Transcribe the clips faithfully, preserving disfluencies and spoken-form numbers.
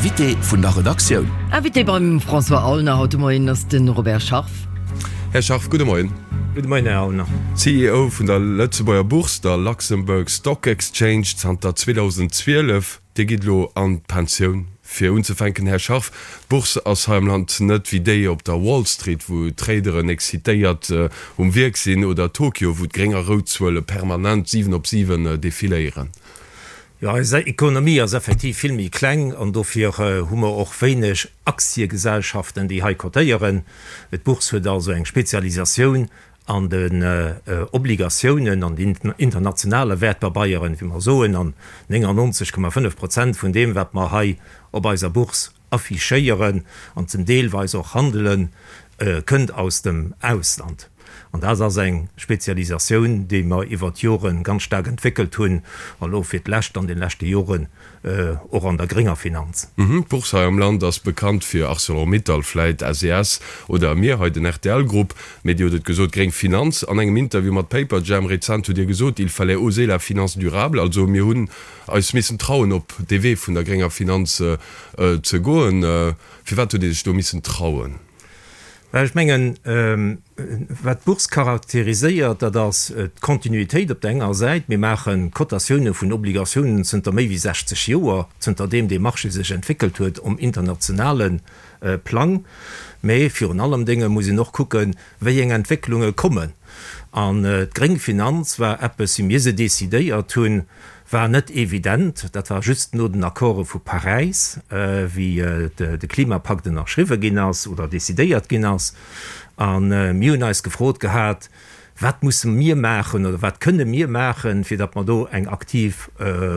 Invité vun der Redaktioun. Invité beim François Aulner haut de Moien ass de Robert Scharf. Här Scharf, gudde Moien. Gudde Moien, Här Aulner. C E O vun der Lëtzebuerger Bourse, der Luxembourg Stock Exchange, zanter zweedausenzwielef. Dir gitt elo an d'Pensioun. Fir unzefänken, Här Scharf, d'Bourse ass hei am Land net wéi déi op der Wall Street, wou d'Traderen excitéiert um Wierk sinn, oder Tokio, wou d'gréng a rout Zuele permanent siwen op siwen defiléieren. Jo, eis Ekonomie ass effektiv vill méi kleng an dofir hu mer och wéineg Aktiegesellschaften, déi hei cotéieren. D'Bourse huet also eng Spezialisatioun an den Obligatiounen, an den internationale Wäertpabeieren, wéi mer soen, an néngannonzeg Komma fënnef Prozent vun deem, wat mer hei op eiser Bourse affichéieren an zum deelweis och handelen, kënnt aus dem Ausland. An dat ass eng Spezialisatioun, déi mer iwwert d'Jore ganz staark entwéckelt hunn, an elo fir d'lescht an de leschte Joren och an der grénger Finanz. D'Bourse hei am Land ass bekannt fir Arcelor-Mittal, vläit S E S oder mir hei, den R T L-Grupp. Mee Dir hutt et gesot, gréng Finanz. An engem Interview mat Paperjam rezent hutt Dir gesot, il fallait oser la finance durable. Also mir hunn eis missen trauen, op dee Wee vun der grénger Finanz ze goen. Firwat hutt Dir sech do missen trauen? Well ech mengen, wat d'Bourse charakteriséiert, dat ass d'Kontinuitéit op der enger Säit. Mir maache Cotatioune vun Obligatiounen zënter méi wéi sechzeg Joer, zënter deem dee Marché sech entwéckelt huet um internationale Plang. Mee virun allem Dinge muss een och kucken, wéi eng Entwécklunge kommen. An d'gréng Finanz war eppes, wéi mir se decidéiert hunn, war net evident. Dat war just no den Accorde vu Paräis, wéi de Klimapakt ënnerschriwwe ginn ass oder decidéiert ginn ass. An mir hunn eis gefrot gehat, wat musse mir maachen oder wat kënne mir maachen, fir datt mer do eng aktiv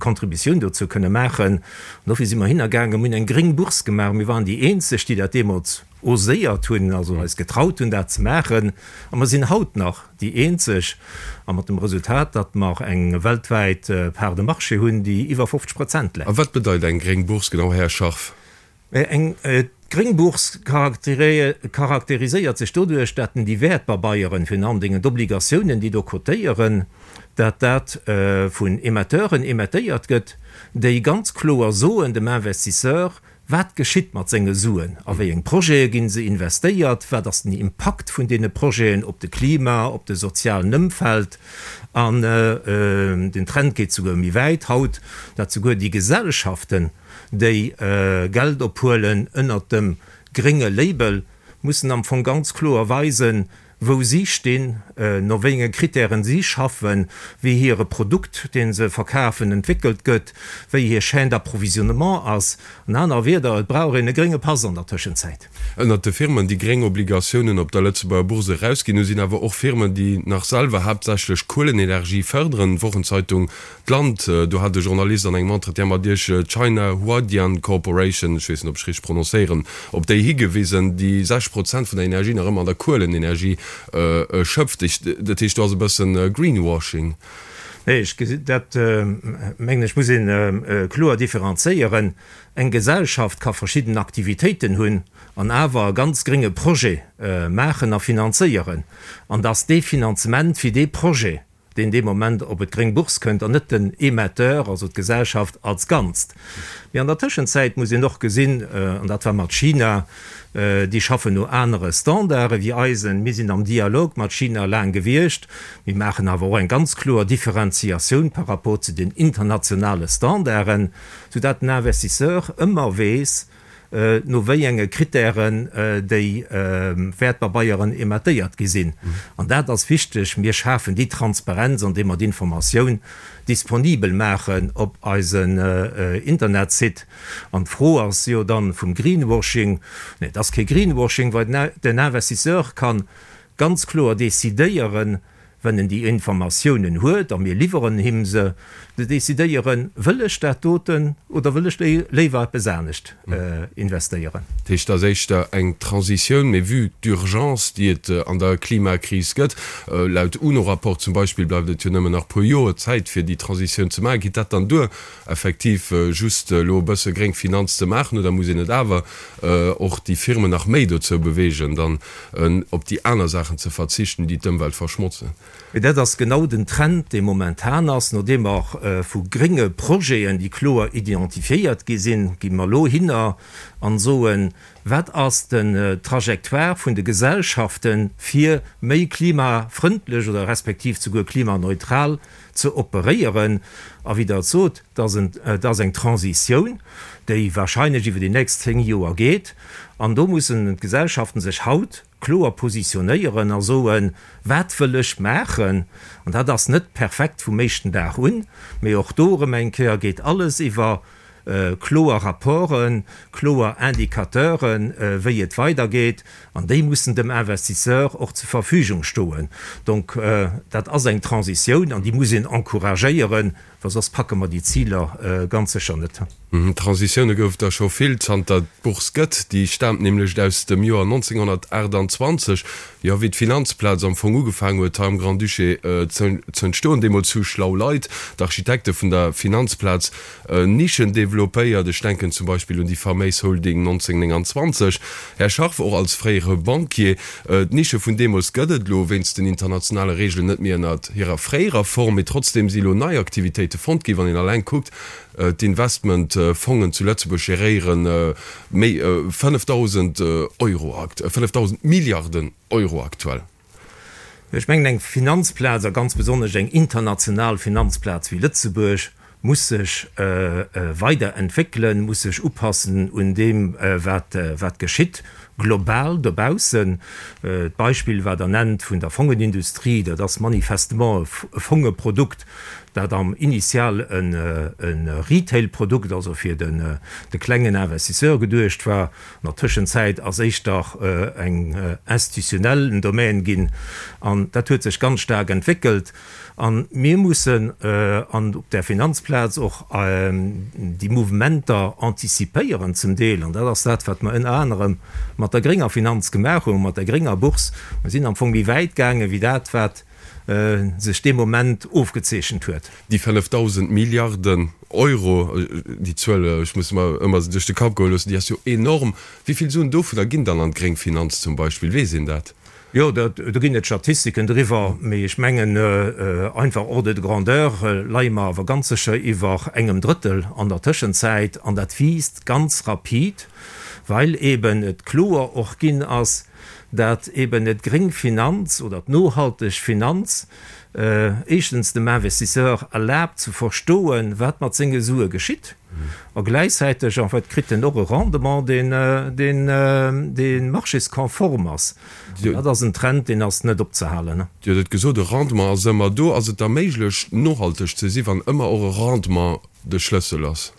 Contributioun dozou kënne maachen. An dofir si mer hinnergaangen, mir hunn eng gréng Bourse gemaach. Mir waren déi eenzeg, déi dat deemools oséiert hunn, also eis getraut hunn, dat ze maachen. A mer sinn haut nach déi eenzeg, a mat dem Resultat, datt mer eng weltwäit Part de marché hunn, déi iwwer fofzeg Prozent läit. A wat bedeit eng gréng Bourse genau, Här Scharf? Eng gréng Bourse charakteriséiert sech doduerch, datt déi Wäertpabeieren, virun allen Dingen d'Obligatiounen, déi do cotéieren, datt dat vun Emetteuren emettéiert gëtt, déi ganz kloer soen dem Investisseur, wat geschitt mat senge Suen, a wéi eng Projete ginn se investéiert, wat ass den Impakt vun deene Projeten op de Klima, op de sozialen Ëmfeld. An den Trend geet souguer méi wäit haut, datt souguer déi Gesellschaften, déi Geld ophuelen ënnert dem grénge Label, mussen am Fong ganz kloer weisen, wou si stinn, no wéi enge Kritären si schaffen, wéi hire Produkt, deen se verkafen, entwéckelt gëtt, wéi hir Chaîne d'approvisionnement ass. An aner Wierder, et brauch een e grénge Pass an der Tëschenzäit. Ënnert de Firmen, déi gréng Obligatiounen op der Lëtzebuerger Bourse erausginn, hu sinn awer och Firmen, déi nach selwer haaptsächlech Kuelenenergie fërderen. D'Wochenzeitung D'Land, do hat e Journalist an engem Entretien mat Iech d'China Huadian Corporation, ech weess net, ob ech richteg prononcéieren, op déi higewisen, déi sechzeg Prozent vun der Energie nach ëmmer an der Kuelenenergie schöpft. Dat heescht, do ass e bëssen Greenwashing. Nee, ech gesi dat, mengen ech, muss een kloer differenzéieren. Eng Gesellschaft ka verschidden Aktivitéiten hunn an awer e ganz grénge Projet maachen a finanzéieren. An dass dee Finanzement fir dee Projet, deen dee Moment op et gréng Bourse kënnt, an net den Emetteur, also d'Gesellschaft als Ganzt. Mee an der Tëschenzäit muss een och gesinn, an dat war mat China, déi schaffen no anere Standarde wéi eisen. Mir sinn am Dialog mat China laang gewiescht. Mir maachen awer och eng ganz kloer Differenziatioun par rapport zu den internationale Standarden, soudatt den Investisseur ëmmer weess, no wéi enge Kritären déi Wäertpabeieren emettéiert gi sinn. An dat ass wichteg. Mir schafen déi Transparenz, indem mer d'Informatioun disponibel maachen op eisen Internetsite. An d'Fro ass jo dann vum Greenwashing. Nee, dat ass kee Greenwashing, well den Investisseur kann ganz kloer decidéieren, wenn en déi Informatiounen huet, a mir liwweren him se, de decidéieren, wëll ech dat doten oder wëll ech léiwer eppes anescht investéieren. Dat heescht, dat ass éischter eng Transitioun, mee vue d'Urgence, déi et an der Klimakris gëtt, laut UNO-Rapport zum Beispill bleift et jo nëmmen nach puer Joer Zäit, fir déi Transitioun ze maachen. Geet dat dann duer, effektiv just elo e bësse gréng Finanz ze maachen, oder muss een et awer och déi Firmen nach méi dozou beweegen, dann op déi aner Saachen ze verzichten, déi d'Ëmwelt verschmotzen? Mee dat ass genau den Trend, dee momentan ass. Nodeem mer vu grénge Projeten, déi kloer identifiéiert gi sinn, gi mer elo hinner an soen, Wat ass den Trajectoire vun de Gesellschaften, fir méi klimafrëndlech oder respektiv souguer klimaneutral ze operéieren? A wéi Der et sot, dat ass eng Transitioun, déi wahrscheinlech iwwer déi nächst zéng Joer geet. An do mussen d'Gesellschaften sech haut kloer positionéieren a soen, Wat wëll ech maachen? An dat ass net perfekt vum éischten Dag un, mee och do erëm eng Kéier geet alles iwwer kloer Rapporten, kloer Indicateuren, wéi et weidergeet, an déi mussen dem Investisseur och zur Verfügung stoen. Donc dat ass eng Transitioun an déi muss een encouragéieren, well soss packe mer déi Ziler ganz sécher net. Transitioune gouf der scho vill, zanter et d'Bourse gëtt. Déi staamt nämlech aus dem Joer nonzénghonnertaachtanzwanzeg, jo, wéi d'Finanzplaz am Fong ugefaangen huet hei am Grand-Duché z'entstoen. Deemools hu schlau Leit, d'Architekte vun der Finanzplaz, Nischen developpéiert. Ech denken zum Beispill un déi faméis Holding nonzénghonnertnénganzwanzeg. Här Scharff, och als fréiere Banquier, d'Nische vun deemools gëtt et elo wéinst den internationale Reegelen net méi ënnert hirer fréierer Form, mee trotzdeem si elo nei Aktivitéite fonnt ginn. Wann een alleng kuckt, D'Investmentfongen zu Lëtzebuerg geréiere méi fënnefdausend Euro, fënnefdausend Milliarden Euro aktuell. Ech mengen, eng Finanzplaz, a ganz besonnesch eng international Finanzplaz wéi Lëtzebuerg, muss sech weider entwéckelen, muss sech upassen un deem, wat geschitt global dobaussen. D'Beispill, wat Der nennt vun der Fongenindustrie, dat ass manifestement e Fongeprodukt, dat am initial e Retail-Produkt, also fir de klengen Investisseur geduecht war. An der Tëschenzäit ass éischter eng institutionell Domaine ginn. An dat huet sech ganz staark entwéckelt. A mir mussen an op där Finanzplaz och déi Mouvementer antizipéieren zum Deel. An dat ass dat, wat mer ënner anerem mat der grénger Finanz gemaach hunn, mat der grénger Bourse. Mer sinn am Fong méi wäit gaange wéi dat, wat sech dee Moment ofgezeechent huet. Déi fënnefdausend Milliarden Euro, déi Zuel, ech muss mer ëmmer duerch de Kapp goe loossen, déi ass jo enorm. Wéi vill Suen dovunner ginn dann an d'gréng Finanz zum Beispill? Weess een dat? Jo, do ginn et Statistiken driwwer, mee ech mengen, einfach Ordre de grandeur leie mer awer ganz sécher iwwer engem Drëttel an der Tëschenzäit. An dat wiisst ganz rapid, well eeben et kloer och ginn ass, dat eeben d'gréng Finanz oder d'nohalteg Finanz éischtens dem Investisseur erlaabt ze verstoen, wat mat senge Sue geschitt, a gläichzäiteg en fait kritt en och e Rendement, deen, deen, dee marchéskonform ass. An dat ass en Trend, deen ass net opzehalen. Dir hutt et gesot, e Rendement ass ëmmer do. Ass et da méiglech, nohalteg ze si, wann ëmmer och e Rendement de Schlëssel ass?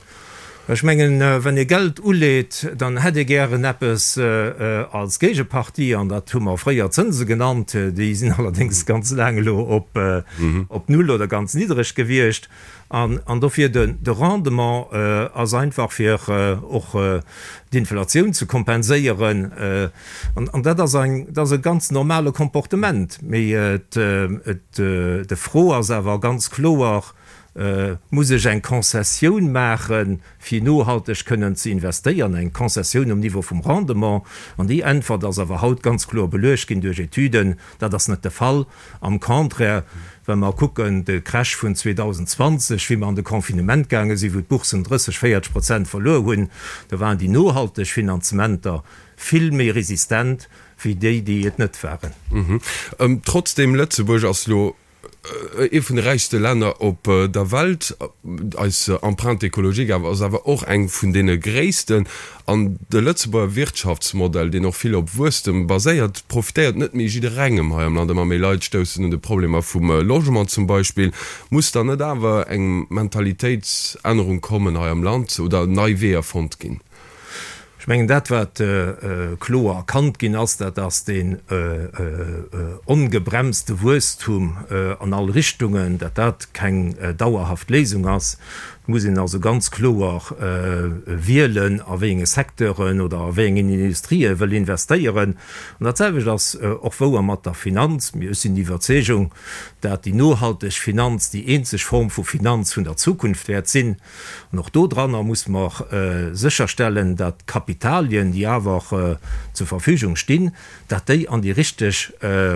Ech mengen, wann ee Geld uleet, dann hätt ee gären eppes als Géigepartie, an dat hu mer fréier Zënse genannt. Déi sinn allerdéngs ganz laang elo op Null oder ganz niddreg gewiescht. An dofir de Rendement ass einfach fir och d'Inflatioun ze kompenséieren. An dat ass e ganz normale Comportement. Mee d'Fro ass awer ganz kloer, Muss ech eng Concessioun maachen, fir nohalteg kënnen ze investéieren, eng Concessioun um Niveau vum Rendement? An déi Äntwert ass awer haut ganz kloer beluecht ginn duerch Etüden, Dat ass net de Fall. Am Contraire, wa mer kucken, de Crash vun zweedausendzwanzeg, wéi mer an de Confinement gaange sinn, wou d'Boursen drësseg, véierteg Prozent verluer hunn, do waren déi nohalteg Finanzementer vill méi resistent wéi déi, déi et net waren. Trotzdem, Lëtzebuerg ass elo Ee vun de räichste Länner op der Welt. Eis Empreinte écologique awer ass awer och eng vun deene gréissten. An de Lëtzebuerger Wirtschaftsmodell, deen och vill op Wuesstem baséiert, profitéiert net méi jidderengem hei am Land. Ëmmer méi Leit stoussen un de Problemer vum Logement zum Beispill. Muss dann net awer eng Mentalitéitsännerung kommen hei am Land oder nei Weeër fonnt ginn? Ech mengen, dat wat kloer erkannt ginn ass, dat ass deen ongebremste Wuesstum an all Richtungen, datt dat keng dauerhaft Léisung ass. Et muss een also ganz kloer wielen, a wéi enge Secteuren oder a wéi engen Industrië wëll investéieren. An dat selwecht ass och wouer mat der Finanz. Mir, ech sinn der Iwwerzeegung, dat déi nohalteg Finanz déi eenzeg Form vu Finanz vun der Zukunft wäert sinn. An och dodranner muss mer sécherstellen, dat d'Kapitalien, déi awer zur Verfügung stinn, dat déi an déi richteg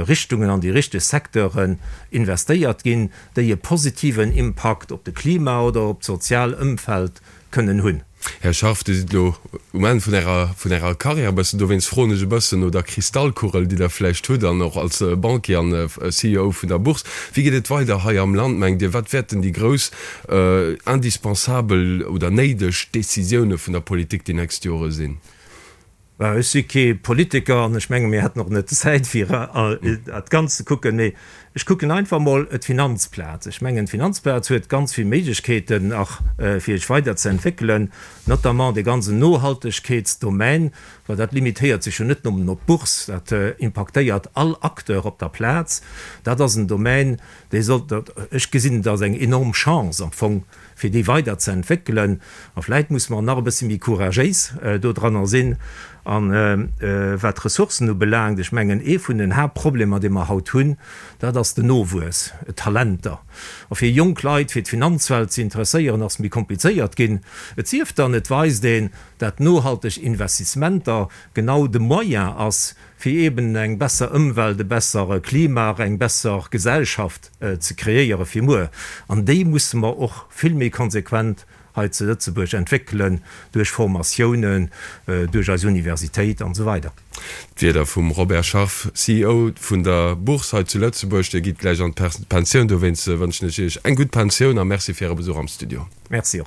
Richtungen, an déi richteg Secteuren investéiert ginn, déi e positiven Impakt op de Klima oder op d'sozial Ëmfeld kënnen hunn. Här Scharff, Dir sidd elo um Enn vun Ärer, vun Ärer Karriär e bëssen. Dowéinst froen ech e bëssen no der Kristallkugel, déi Der vläicht hutt, an och als Banquier an C E O vun der Bourse. Wéi geet et weider hei am Land, mengt Dir? Wat wäerten déi grouss indispensabel oder néideg Décisioune vun der Politik déi nächst Jore sinn? Ech si kee Politiker an ech menge mir hätten och net d'Zäit fir dat Ganzt ze kucken, mee ech kucken einfach emol d'Finanzplaz. Ech mengen d'Finanzplaz huet ganz vill Méiglechkeeten nach fir sech weider ze entwéckelen, notamment dee ganzen Nohaltegkeetsdomaine, well dat limitéiert sech jo net nëmmen op d'Bourse, dat impaktéiert all Acteur op der Plaz. Dat ass en Domaine, dee sollt, ech gesinn et als eng enorm Chance am Fong, fir déi weider ze entwéckelen. A vläit musse mer nach e bësse méi couragéis dodranner sinn. An wat d'Ressourcen ubelaangt, ech mengen, ee vun den Haaptproblemer, dee mer haut hunn, dat ass den Nowuess, d'Talenter. A fir jonk Leit fir d'Finanzwelt ze interesséieren, ass méi komplizéiert ginn. Et sief dann, et weist een, dat nohalteg Investissementer genau de Moyen ass, fir eeben eng besser Ëmwelt, e bessere Klima, eng besser Gesellschaft ze kreéiere fir muer. An déi musse mer och vill méi konsequent hei zu Lëtzebuerg entwéckelen, duerch Formatiounen, duerch eis Universitéit an esou weider. D'Wierder vum Robert Scharff, C E O vun der Bourse hei zu Lëtzebuerg. Dir gitt gläich an d'Pensioun, dowéinst wënschen ech Iech eng gutt Pensioun a Merci fir Äre Besuch am Studio. Merci och.